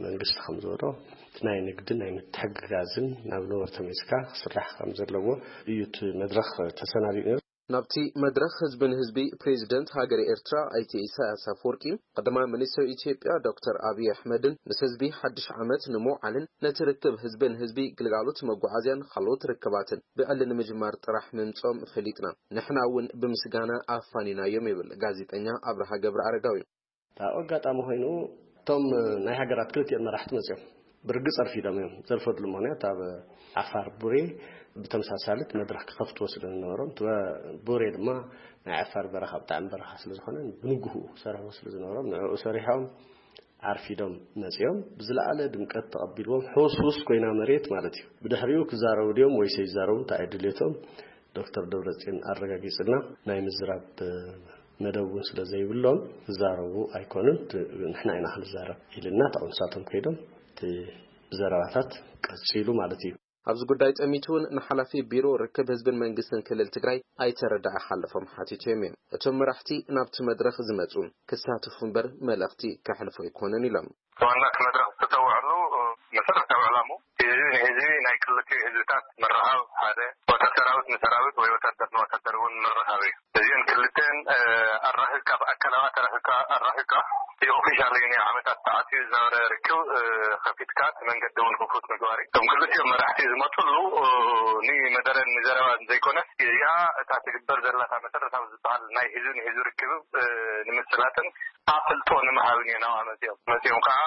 መንግስቲ ከም ዝበሎ፣ እቲ ናይ ንግድን ናይ ምትሕግጋዝን ናብ ነበርቶ መሊስካ ክስራሕ ከም ዘለዎ እዩ እቲ መድረኽ ተሰናዲኡ ነይሩ። ናብቲ መድረኽ ህዝቢ ንህዝቢ ፕሬዚደንት ሃገረ ኤርትራ ኣይተ ኢሳያስ ኣፈወርቂ፣ ቀዳማይ ሚኒስትር ኢትዮጵያ ዶክተር ኣብይ ኣሕመድን ምስ ህዝቢ ሓድሽ ዓመት ንምውዓልን ነቲ ርክብ ህዝቢ ንህዝቢ ግልጋሎት መጓዓዝያን ካልኦት ርክባትን ብዕሊ ንምጅማር ጥራሕ ምምጾም ፈሊጥና። ንሕና እውን ብምስጋና ኣፋኒናዮም ይብል ጋዜጠኛ ኣብርሃ ገብረ ኣረጋዊ። ኣብ ኣጋጣሚ ኮይኑ እቶም ናይ ሃገራት ክልቲኦም መራሕቲ መፅዮም ብርግፅ ኣርፊዶም እዮም። ዘርፈድሉ ምኽንያት ኣብ ዓፋር ቡሬ ብተመሳሳሊት መድረኽ ክኸፍትዎ ስለ ዝነበሮም፣ እቲ ቡሬ ድማ ናይ ዓፋር በረኻ ብጣዕሚ በረኻ ስለ ዝኾነ ብንግሁ ክሰርሕዎ ስለ ዝነበሮም ንዕኡ ሰሪሖም ኣርፊዶም መፅዮም ብዝለዓለ ድምቀት ተቐቢልዎም። ሕውስውስ ኮይና መሬት ማለት እዩ። ብድሕሪኡ ክዛረቡ ድዮም ወይስ ኣይዛረቡ እንታይ ድሌቶም ዶክተር ደብረጽዮን ኣረጋጊጽልና ናይ ምዝራብ መደብ እውን ስለ ዘይብሎም ክዛረቡ ኣይኮኑን። ት-፣ ንሕና ኢና ክንዛረብ ኢልና እታ ንሳቶም ከይዶም እቲ ዘረባታት ቀጺሉ ማለት እዩ። ኣብዚ ጉዳይ ጠሚቱ እውን ንሓላፊ ቢሮ ርክብ ህዝብን መንግስትን ክልል ትግራይ ኣይተረዳእ ሓለፎም ሓቲቶም እዮም። እቶም መራሕቲ ናብቲ መድረኽ ዝመፁ ክሳተፉ እምበር መልእኽቲ ከሕልፉ ኣይኮኑን ኢሎም። ዋና እቲ መድረኽ ዝተሰውዐሉ መሰረታዊ ዕላሙ ህዝቢ ንህዝቢ ናይ ክልቲኡ ህዝብታት ምርኻብ ሓደ፣ ወተር ሰራዊት ንሰራዊት ወይ ወታደር ንወታደር እውን ምርኻብ እዩ። እዚን ክልተን ኣራኺብካ፣ ብኣካላዊ ኣራኺብካ ኣራኺብካ እቲ ኦፊሻል ናይ ዓመታት ተዓጽዩ ዝነበረ ርክብ ከፊትካ እቲ መንገዲ እውን ክፉት ምግባር እዩ። እቶም ክልቲኦም መራሕቲ ዝመፅሉ ንመደረን ንዘረባን ዘይኮነስ፣ እዚኣ እታ ትግበር ዘለታ መሰረታዊ ዝበሃል ናይ ህዝቢ ንህዝቢ ርክብ ንምስላጥን ኣፍልጦ ንምሃብን እዮም ናብኣ መፂኦም። መፂኦም ከዓ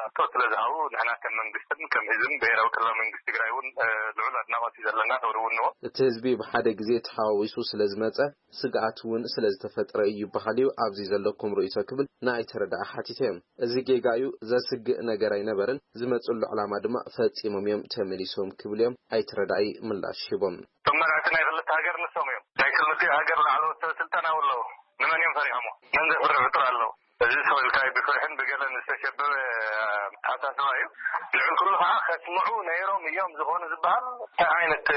ሕቶ ስለ ዝሃቡ፣ ንሕና ከም መንግስትን ከም ህዝብን ብሄራዊ ክልላዊ መንግስቲ ትግራይ እውን ልዑል ኣድናቆት እዩ ዘለና፣ ክብሪ እውን ንዎ። እቲ ህዝቢ ብሓደ ግዜ ተሓዋዊሱ ስለ ዝመፀ፣ ስግኣት እውን ስለ ዝተፈጥረ እዩ ይበሃል እዩ ኣብዚ ዘለኩም ርእይቶ፣ ክብል ንኣይተ ረዳኢ ሓቲተ። እዚ ጌጋ እዩ፣ ዘስግእ ነገር ኣይነበረን፣ ዝመፅሉ ዕላማ ድማ ፈፂሞም እዮም ተመሊሶም፣ ክብል እዮም ኣይተ ረዳኢ ምላሽ ሂቦም። እቶም መራሕቲ ናይ ክልተ ሃገር ንሶም እዮም። ናይ ክልቲኡ ሃገር ላዕለዎት ሰብ ስልጣን ኣለዉ። ንመን እዮም ፈሪሖሞ? መን ዘፍርሕ ፍጡር ኣለዉ? እዚ ሰው ኢልካ ብፍርሕን ብገለን ዝተሸበበ ኣተሓሳስባ እዩ። ልዕሊ ኩሉ ከዓ ከስምዑ ነይሮም እዮም ዝኾኑ ዝበሃል እንታይ ዓይነት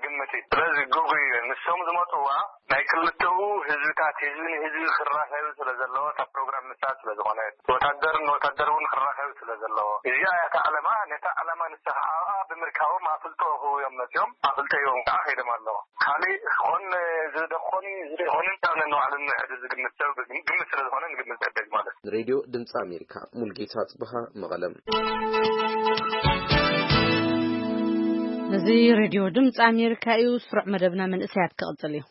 ግምት እዩ? ስለዚ ግጉይ እዩ። ንሶም ዝመፅዋ ናይ ክልተኡ ህዝብታት፣ ህዝቢ ንህዝቢ ክራኸብ ስለ ዘለዎ፣ እታ ፕሮግራም ንሳ ስለ ዝኾነ፣ ወታደር ንወታደር እውን ክራኸብ ስለ ዘለዎ፣ እዚኣ እያ እታ ዓለማ። ነታ ዓለማ ንሳ ከዓ ኣብኣ ብምርካቦም ኣፍልጦ ክህቡ እዮም መፅዮም። ኣፍልጦ ሂቦም ከዓ ከይዶም ኣለዉ። ካልእ ክኾን ዝደኾን ዝደኾንን ካብ ነንባዕሉ ንሕድ ዝግምት ሰብ ግምት ስለ ዝኾነ ንግምት ዕደግ ማለት እዩ። ሬድዮ ድምፂ ኣሜሪካ፣ ሙልጌታ ጽብሃ፣ መቐለም። እዚ ሬድዮ ድምፂ ኣሜሪካ እዩ። ስሩዕ መደብና መንእሰያት ክቕጽል እዩ።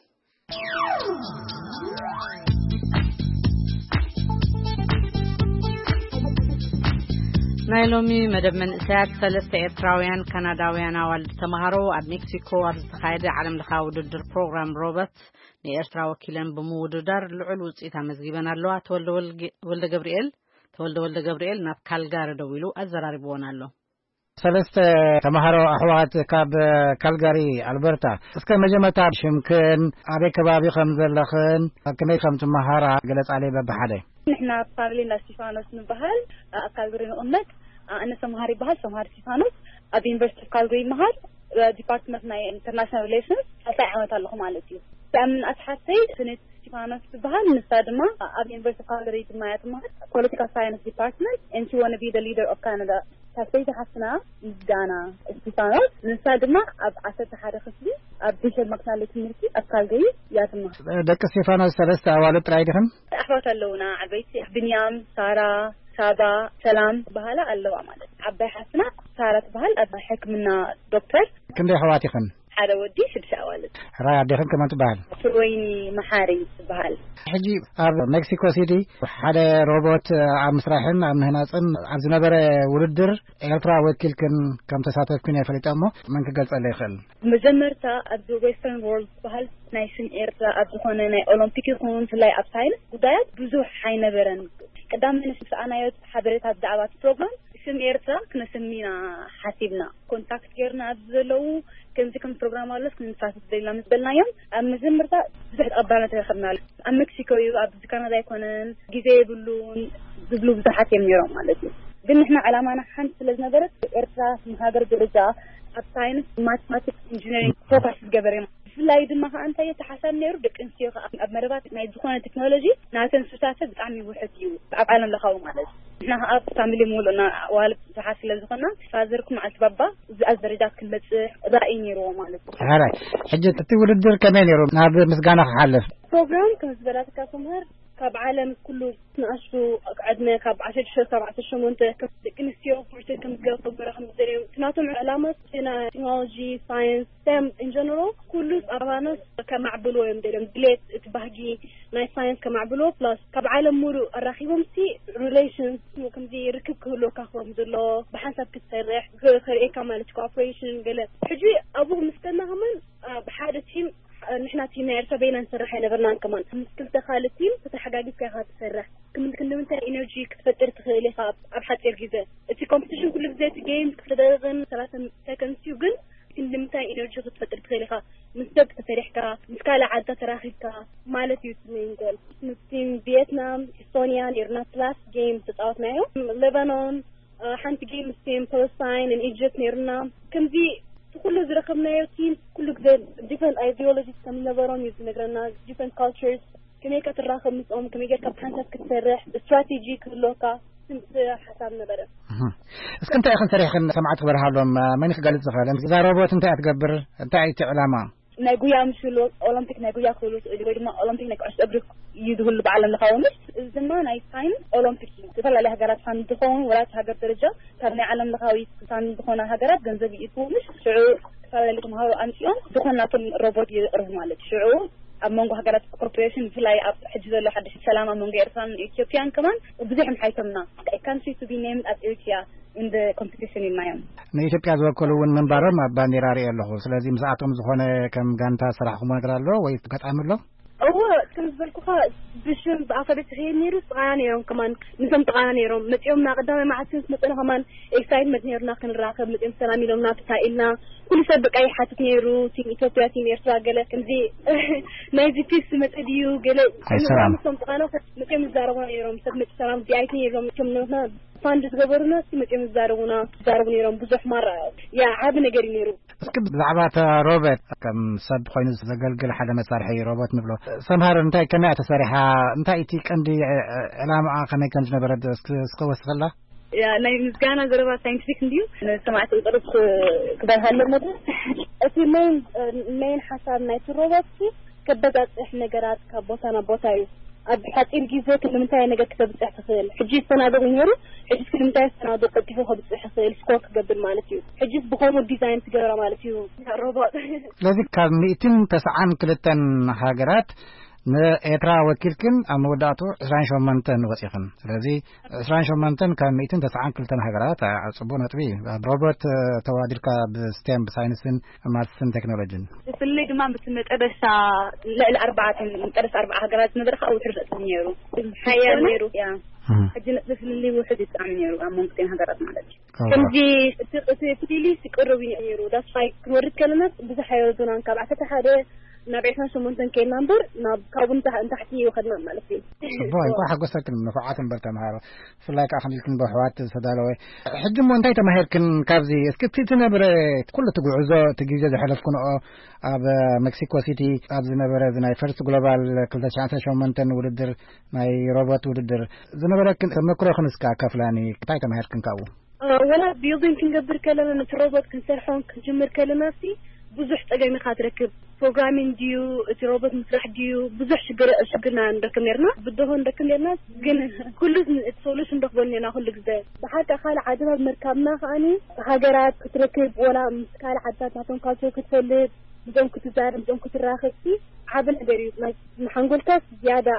ናይ ሎሚ መደብ መንእሰያት፣ ሰለስተ ኤርትራውያን ካናዳውያን ኣዋልድ ተምሃሮ ኣብ ሜክሲኮ ኣብ ዝተኻየደ ዓለም ለኻዊ ውድድር ፕሮግራም ሮቦት ንኤርትራ ወኪለን ብምውድዳር ልዑል ውፅኢት ኣመዝጊበን ኣለዋ። ተወልደ ወልጌ-፣ ወልደ ገብርኤል፣ ተወልደ ወልደ ገብርኤል ናብ ካልጋሪ ደዊሉ ኣዘራሪብዎን ኣሎ። ሰለስተ ተምሃሮ ኣሕዋት ካብ ካልጋሪ ኣልበርታ። እስከ መጀመርታ ሽምክን፣ ኣበይ ከባቢ ከም ዘለኽን፣ ከመይ ከም ትመሃራ ገለጻለይ በብሓደ። ንሕና ፋሚሊ እንዳ እስቲፋኖስ ንበሃል፣ ኣብ ካልጋሪ ንቕመጥ። ኣነ ሰምሃር ይበሃል፣ ሰምሃር እስቲፋኖስ። ኣብ ዩኒቨርሲቲ ኦፍ ካልጋሪ ይመሃር፣ ዲፓርትመንት ናይ ኢንተርናሽናል ሪሌሽንስ ሳልሳይ ዓመት ኣለኹ ማለት እዩ። እዛ ምንኣስ ሓፍተይ ስኔት እስቲፋኖስ ትበሃል። ንሳ ድማ ኣብ ዩኒቨርሲቲ ኦፍ ካልጋሪ ድማ እያ ትመሃር፣ ፖለቲካል ሳይንስ ዲፓርትመንት፣ and she wanna be the leader of Canada። ሳልሰይቲ ሓፍትና ምስጋና እስቲፋኖስ፣ ንሳ ድማ ኣብ ዓሰርተ ሓደ ክፍሊ ኣብ ቢሸፕ ማክናሊ ትምህርቲ ኣብ ካልጋሪ እያ ትመሃር። ደቂ እስቲፋኖስ ሰለስተ ኣዋልድ ጥራይ ዲኽን? ኣሕዋት ኣለውና ዓበይቲ፣ ብንያም፣ ሳራ፣ ሳባ፣ ሰላም በሃላ ኣለዋ ማለት። ዓባይ ሓፍትና ሳራ ትበሃል፣ ኣብ ሕክምና ዶክተር። ክንደይ ኣሕዋት ኢኽን? ሓደ ወዲ፣ ሽዱሽተ ኣዋልድ። ሕራይ ኣዴኽን ከመን ትበሃል? ፍርወይኒ መሓሪ ትበሃል። ሕጂ ኣብ ሜክሲኮ ሲቲ ሓደ ሮቦት ኣብ ምስራሕን ኣብ ምህናጽን ኣብ ዝነበረ ውድድር ኤርትራ ወኪልክን ከም ተሳተፍክን እየ ፈሊጠ እሞ መን ክገልጸለይ ይኽእል? መጀመርታ ኣብዚ ዌስተርን ዎርልድ ዝበሃል ናይ ስም ኤርትራ ኣብ ዝኾነ ናይ ኦሎምፒክ ይኹን ብፍላይ ኣብ ሳይንስ ጉዳያት ብዙሕ ኣይነበረን። ቀዳማይ ምስ ረኣናዮ ሓበሬታ ብዛዕባ እቲ ፕሮግራም ስም ኤርትራ ክነስሚ ኢና ሓሲብና። ኮንታክት ጌርና ኣብዚ ዘለዉ ከምዚ ከም ፕሮግራም ኣሎስ ክንሳተፍ ደሊና ምስ በልናዮም ኣብ መጀመርታ ብዙሕ ተቐባልነት ረኸብና። ኣብ ሜክሲኮ እዩ፣ ኣብዚ ካናዳ ኣይኮነን፣ ግዜ የብሉን ዝብሉ ብዙሓት እዮም ነይሮም ማለት እዩ። ግን ንሕና ዕላማና ሓንቲ ስለ ዝነበረት ኤርትራ ንሃገር ደረጃ ኣብ ሳይንስ፣ ማቴማቲክስ፣ ኢንጂነሪንግ ፎካስ ዝገበረ እዩ። ብፍላይ ድማ ከዓ እንታይ እዩ እቲ ሓሳብ ነይሩ፣ ደቂ ኣንስትዮ ከዓ ኣብ መረባት ናይ ዝኾነ ቴክኖሎጂ ናተን ሱታፈ ብጣዕሚ ውሕድ እዩ ኣብ ዓለም ለኻዊ ማለት እዩ። ንሕና ከዓ ፋሚሊ ሙሉእና ኣዋልድ ብዙሓት ስለ ዝኾና ፋዘርኩም መዓልቲ ባባ እዚ ኣብዚ ደረጃ ክንበፅሕ ራእይ ነይርዎ ማለት እዩ። ሕራይ፣ ሕጂ እቲ ውድድር ከመይ ነይሩ? ናብ ምስጋና ክሓልፍ። ፕሮግራም ከም ዝበላትካ ሰምሃር ካብ ዓለም ኩሉ ንኣሽቱ ዕድመ ካብ ዓሰርተ ሽዱሽተ ካብ ዓሰርተ ሸሞንተ ከም ደቂ ኣንስትዮ ፖርትሬት ከም ዝገበሩ ከም ዝደልዮም እቲ ናቶም ዕላማ ቴና-፣ ቴክኖሎጂ፣ ሳይንስ፣ ስቴም ኢን ጀነራል ኩሉ ኣባኖስ ከማዕብልዎ እዮም ደልዮም። ድሌት እቲ ባህጊ ናይ ሳይንስ ከማዕብልዎ ፕላስ ካብ ዓለም ሙሉእ ኣራኺቦም ሲ ሪሌሽንስ ከምዚ ርክብ ክህልወካ ከም ዘለዎ ብሓንሳብ ክትሰርሕ ክ-፣ ከርእየካ ማለት ኮኦፕሬሽን ገለ። ሕጂ ኣብኡ ምስ ከድና ከማን፣ አ፣ ብሓደ ቲም፣ አ፣ ንሕና ቲም ናይ ኤርትራ በይና ንሰርሕ ኣይነበርናን ከማን። ምስ ክልተ ካልእ ቲም ተተሓጋጊዝካ ኢኻ ትሰርሕ። ክም-፣ ክንዲ ምንታይ ኢነርጂ ክትፈጥር ትኽእል ኢኻ ኣብ፣ ኣብ ሓጺር ግዜ። እቲ ኮምፒቲሽን ኩሉ ግዜ እቲ ጌም ክተደረግን ሰላሳ ሰከንድስ እዩ፣ ግን ክንዲ ምንታይ ኢነርጂ ክትፈጥር ትኽእል ኢኻ ምስ ሰብ ተሰሪሕካ፣ ምስ ካልእ ዓድታት ተራኺብካ ማለት እዩ እቲ ሜን ጎል። ምስ ቲም ቪየትናም፣ ኢስቶንያ ነይርና ፕላስ ጌም ዝተጻወትናዮ። ሌባኖን፣ አ፣ ሓንቲ ጌም ምስ ቲም ፓለስታይን ን ኢጅፕት ነይርና። ከምዚ እቲ ኩሉ ዝረኸብናዮ ቲም ኩሉ ግዜ ዲፍረንት ኣይዲዮሎጂስ ከም ዝነበሮም እዩ ዝነግረና፣ ዲፍረንት ካልቸርስ፣ ከመይ ኢልካ ትራኸብ ምስኦም፣ ከመይ ጌርካ ብሓንሳብ ክትሰርሕ፣ ስትራቴጂ ክህልወካ፣ ስንት ሓሳብ ነበረ። እህ። እስኪ እንታይ ኢኽን ሰሪሕክን ሰማዕቲ ክበርሃሎም፣ መን ክገልጽ ዝኽእል? እዛ ሮቦት እንታይ እያ ትገብር? እንታይ እዩ እቲ ዕላማ? ናይ ጉያ ምስ ህሉ ኦሎምፒክ ናይ ጉያ ክህሉ ይኽእል እዩ፣ ወይ ድማ ኦሎምፒክ ናይ ኩዕሶ እግሪ እዩ ዝህሉ ብዓለም ለኻዊ። ምስ እዚ ድማ ናይ ሳይንስ ኦሎምፒክ እዩ። ዝተፈላለዩ ሃገራት ፋንድ ዝኸውን ወላ እቲ ሃገር ደረጃ ካብ ናይ ዓለም ለኻዊ ፋንድ ዝኾና ሃገራት ገንዘብ ይእትዉ። ምስ ሽዑ ዝተፈላለዩ ተምሃሮ ኣምፅኦም ዝኾን ናቶም ሮቦት የቕርቡ ማለት እዩ። ሽዑ ኣብ መንጎ ሃገራት ኮርፖሬሽን ብፍላይ ኣብ ሕጂ ዘሎ ሓድሽ ሰላም ኣብ መንጎ ኤርትራን ኢትዮጵያን ከማን ብዙሕ ምሓይቶምና። Country to be named as Eritrea in the competition ኢልናዮም። ንኢትዮጵያ ዝወከሉ እውን ምንባሮም ኣብ ባንዴራ ርእየ ኣለኹ። ስለዚ ምስኣቶም ዝኾነ ከም ጋንታ ሰራሕኹሞ ነገር ኣሎ ወይ ኣጋጣሚ ኣሎ? እወ፣ ከም ዝበልኩኻ ብሽም ብኣፈ ቤት ዝኸየድ ነይሩ፣ ጥቓና ነይሮም ከማን። ምስም ጥቓና ነይሮም መፂኦም ና ቀዳማይ መዓልቲ ምስ መፀና ከማን ኤክሳይትመንት ነይሩና ክንራኸብ። መፂኦም ሰላም ኢሎምና፣ ተሳኢልና። ኩሉ ሰብ በቃ ይሓትት ነይሩ፣ ቲም ኢትዮጵያ፣ ቲም ኤርትራ፣ ገለ ከምዚ ናይዚ ፒስ መፀ ድዩ ገለ። ኣይሰራም። ምስም ጥቓና መፂኦም ይዛረቡና ነይሮም። ሰብ መፂ ሰላም ቪኣይፒ ነይሮም። እቶም ነትና ፋንድ ዝገበሩና እስቲ መፂኦም ይዛረቡና፣ ይዛረቡ ነይሮም። ብዙሕ ማራ ያ ዓቢ ነገር እዩ ነይሩ። እስኪ ብዛዕባ እታ ሮበት ከም ሰብ ኮይኑ ዘገልግል ሓደ መሳርሒ ሮበት ንብሎ ሰምሃር እንታይ ከመይ እያ ተሰሪሓ? እንታይ እቲ ቀንዲ ዕ-፣ ዕላማኣ ከመይ ከም ዝነበረ እስኪ፣ እስኪ ወስኸላ? ያ ናይ ምስጋና ዘረባ ሳይንቲፊክ እንድዩ። ንሰማዕቲ ዝቅርብ ክበርሃሎም መድረክ። እቲ ሜን፣ ሜን ሓሳብ ናይቲ ሮበት ሲ ከበጻጽሕ ነገራት ካብ ቦታ ናብ ቦታ እዩ። ኣብ ሓጺር ግዜ ክንዲ ምንታይ ነገር ክተብጽሕ ትኽእል? ሕጂ ዝተናዶ ኮይኑ ነይሩ፣ ሕጂ ክንዲ ምንታይ ዝተናዶ ቀልጢፉ ከብጽሕ ይኽእል፣ ስኮር ክገብር ማለት እዩ። ሕጂስ ብኸምኡ ዲዛይን ትገብራ ማለት እዩ ሮቦት። ስለዚ ካብ ሚእትን ተስዓን ክልተን ሃገራት ንኤርትራ ወኪልክን ኣብ መወዳእቱ ዕስራን ሸሞንተን ወጺኽን። ስለዚ ዕስራን ሸሞንተን ካብ ሚእትን ተስዓን ክልተን ሃገራት፣ ኣ፣ ጽቡቕ ነጥቢ እዩ። ኣብ ሮቦት፣ እ፣ ተወዳዲርካ ብስቴም፣ ብሳይንስን ማትስን ቴክኖሎጂን። ብፍላይ ድማ ምስ መጨረሻ ልዕሊ ኣርባዕተ፣ መጨረሻ ኣርባዓ ሃገራት ዝነበረ ከዓ ውሕድ ነጥቢ ነይሩ። ሓያል ነይሩ። ያ። እህ። ሕጂ ነጥቢ ፍልልይ ውሕድ እዩ ብጣዕሚ ነይሩ ኣብ መንጎ ክልቲኤን ሃገራት ማለት እዩ። እዋ። ከምዚ እቲ፣ እቲ ፍልልይ ይቅርብ እዩ ነይሩ። ዳስ ዋይ ክንወርድ ከለና ብዙሕ ኣይወርዱናን። ካብ ዓሰርተ ሓደ ናብ ዕስራን ሸሞንተን ከይድና እምበር ናብ ካብኡ ንታ-፣ ንታሕቲ ይወኸድና ማለት እዩ። ጽቡቕ፣ እንኳዕ ሓጎሰክን ንፉዓት እምበር ተምሃሮ። ብፍላይ ከዓ ከምዚ ኢልክን ብኣሕዋት ዝተዳለወ። ሕጂ እሞ እንታይ ተማሂርክን ካብዚ? እስኪ እቲ ዝነበረ ኩሉ እቲ ጉዕዞ፣ እቲ ግዜ ዘሕለፍክንኦ ኣብ ሜክሲኮ ሲቲ ኣብ ዝነበረ እዚ ናይ ፈርስት ግሎባል ክልተ ሽሕን ዓሰርተ ሸሞንተን ውድድር ናይ ሮቦት ውድድር ዝነበረክን ተመክሮክን እስከ ኣካፍላኒ። እንታይ ተማሂርክን ካብኡ? እ፣ ወላ ቢልዲንግ ክንገብር ከለና ነቲ ሮቦት ክንሰርሖን ክንጅምር ከለና ሲ ብዙሕ ጸገም ኢኻ ትረክብ። ፕሮግራሚንግ ድዩ፣ እቲ ሮቦት ምስራሕ ድዩ፣ ብዙሕ ሽግር፣ ሽግርና ንረክብ ነርና፣ ብድሆ ንረክብ ነርና። ግን ኩሉ እቲ ሶሉሽን ንረክበሉ ነርና ኩሉ ግዜ። ብሓቂ ካልእ ዓድታት ምርካብና ከኣኒ ሃገራት ክትረክብ፣ ወላ ምስ ካልእ ዓድታት ናቶም ካልቸር ክትፈልጥ፣ ምስኦም ክትዛረብ፣ ምስኦም ክትራኸብ ሲ ዓቢ ነገር እዩ። ናይ፣ ንሓንጎልካ ዝያዳ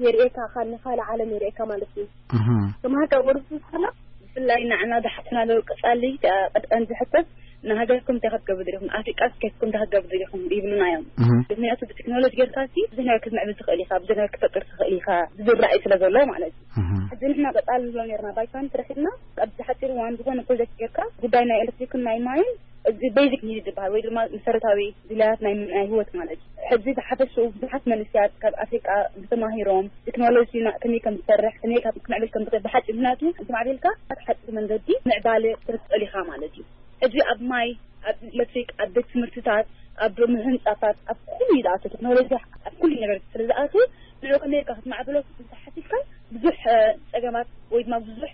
የርእየካ፣ ካል-፣ ንኻልእ ዓለም የርእየካ ማለት እዩ። እህ። ተማሃርካ ወርዱ ስላ ብፍላይ ንዓና ዝሓትና ዶ ቀጻሊ፣ እ፣ ቀጣን ዝሕተት ንሃገርኩም እንታይ ክትገብሩ ደሊኹም? ኣፍሪቃ ከይድኩም እንታይ ክትገብሩ ደሊኹም? ይብሉና እዮም። እህ። ምክንያቱ ብቴክኖሎጂ ጌርካ ሲ ብዙሕ ነገር ክትምዕብል ትኽእል ኢኻ፣ ብዙሕ ነገር ክትፈጥር ትኽእል ኢኻ ዝብል ራእይ ስለ ዘሎ ማለት እዩ። እህ። ሕጂ ንሕና ቀጻሊ ንብሎ ኔርና፣ ባይታን ትረኺብና፣ ኣብዚ ሓጺር እዋን ዝኾነ ፕሮጀክት ጌርካ፣ ጉዳይ ናይ ኤሌክትሪክን ናይ ማይን፣ እዚ ቤዚክ ኒድ ዝበሃል ወይ ድማ መሰረታዊ ድላያት ናይ፣ ናይ ህይወት ማለት እዩ። ሕጂ ዝሓፈሽኡ ብዙሓት መንእሰያት ካብ ኣፍሪቃ ተማሂሮም ቴክኖሎጂ ና-፣ ከመይ ከም ዝሰርሕ፣ ከመይ ካብ ክምዕብል ከም ዝኽእል ብሓጺር፣ ምኽንያቱ እንተ ማዕቢልካ ኣብ ሓጺር መንገዲ ምዕባለ ክትርኢ ትኽእል ኢኻ ማለት እዩ። ሕጂ ኣብ ማይ፣ ኣብ ኤሌክትሪክ፣ ኣብ ቤት ትምህርትታት፣ ኣብ ምህንጻታት፣ ኣብ ኩሉ እዩ ዝኣቱ። ቴክኖሎጂ ኣብ ኩሉ ነገር ስለ ዝኣቱ፣ ንዕኡ ከመይ ጌርካ ክትማዕብሎ እንተ ሓሲብካ፣ ብዙሕ፣ እ፣ ጸገማት ወይ ድማ ብዙሕ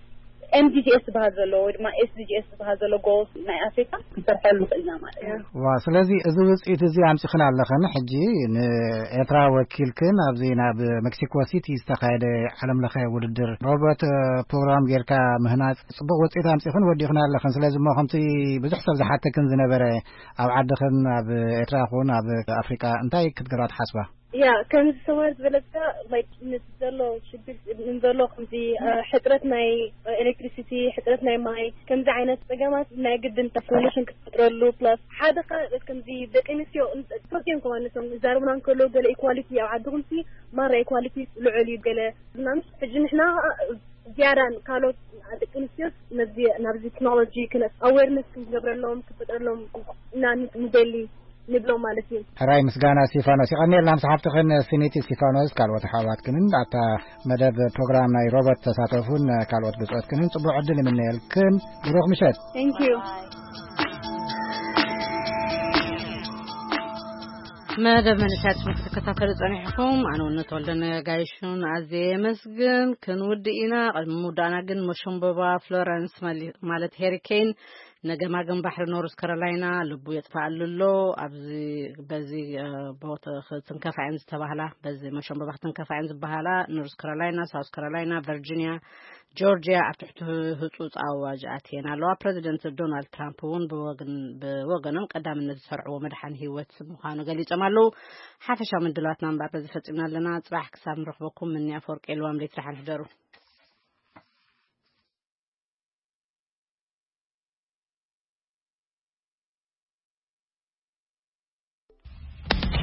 ኤም ዲ ጂ ኤስ ዝበሃል ዘሎ ወይ ድማ ኤስ ዲ ጂ ኤስ ዝበሃል ዘሎ ጎልስ ናይ ኣፍሪካ ክንሰርሐሉ ንኽእል ኢና ማለት እዩ። ዋ፣ ስለዚ እዚ ውፅኢት እዚ ኣምፂኽን ኣለኽን። ሕጂ ንኤርትራ ወኪልክን ኣብዚ ናብ ሜክሲኮ ሲቲ ዝተኻየደ ዓለም ለኸ ውድድር ሮቦት፣ እ፣ ፕሮግራም ጌርካ ምህናፅ ፅቡቕ ውፅኢት ኣምፂኽን ወዲኽን ኣለኽን። ስለዚ እሞ ከምቲ ብዙሕ ሰብ ዝሓተክን ዝነበረ ኣብ ዓድኽን ኣብ ኤርትራ ይኹን ኣብ ኣፍሪቃ እንታይ ክትገብራ ትሓስባ? ያ፣ ከምዚ ሰማር ዝበለካ፣ ላይክ፣ ምስ ዘሎ ሽግር፣ ንዘሎ ከምዚ፣ እ፣ ሕጽረት ናይ ኤሌክትሪሲቲ፣ ሕጽረት ናይ ማይ፣ ከምዚ ዓይነት ጸገማት ናይ ግድን ሶሉሽን ክትፈጥረሉ፣ ፕላስ ሓደ ኸ ከምዚ ደቂ ኣንስትዮ፣ ቶኪዮም ከማን ንሶም ይዛረቡና እንከለዉ፣ ገለ ኢኳሊቲ ኣብ ዓድኹምሲ ማራ ኢኳሊቲ ልዑል እዩ፣ ገለ ምናምን። ሕጂ ንሕና ዝያዳ ካልኦት ደቂ ኣንስትዮስ ነዚ፣ ናብዚ ቴክኖሎጂ ክነ-፣ ኣዌርነስ ክንገብረሎም፣ ክፈጥረሎም ኢና ንደሊ። ንብሎም ማለት እዩ። ሕራይ ምስጋና እስቲፋኖስ። ይቐንየልና ምስ ሓፍትኽን ስኒቲ እስቲፋኖስ፣ ካልኦት ኣሕዋትክንን ኣብታ መደብ ፕሮግራም ናይ ሮቦት ተሳተፉን ካልኦት ብጾትክንን ጽቡቕ ዕድል ይምነየልክን። ብሩኽ ምሸት። Thank you። መደብ መንእሰያት ክትከታተሉ ጸኒሕኩም፣ ኣነ እውን ተወልደ ነጋይሹን ኣዝየ የመስግን። ክንውድእ ኢና። ቅድሚ ምውዳእና ግን መሸምበባ ፍሎረንስ መሊ-፣ ማለት ሄሪኬን ነገማግም ባሕሪ ኖርዝ ካሮላይና ልቡ የጥፋኣሉ ኣሎ። ኣብዚ በዚ ቦታ ክትንከፋ እየን ዝተባህላ፣ በዚ መሸንበባ ክትንከፋ እየን ዝበሃላ ኖርዝ ካሮላይና፣ ሳውስ ካሮላይና፣ ቨርጂኒያ፣ ጆርጂያ ኣብ ትሕቲ ህጹጽ ኣዋጅ ኣትየን ኣለዋ። ፕረዚደንት ዶናልድ ትራምፕ እውን ብወገኖም ቀዳምነት ዝሰርዕዎ መድሓኒ ህይወት ምዃኑ ገሊጾም ኣለዉ። ሓፈሻዊ ምድላዋትና እምበኣር በዚ ፈጺምና ኣለና። ጽባሕ ክሳብ ንረኽበኩም ምኒ ኣፈወርቂ የልዋም ለይቲ ደሓን ሕደሩ።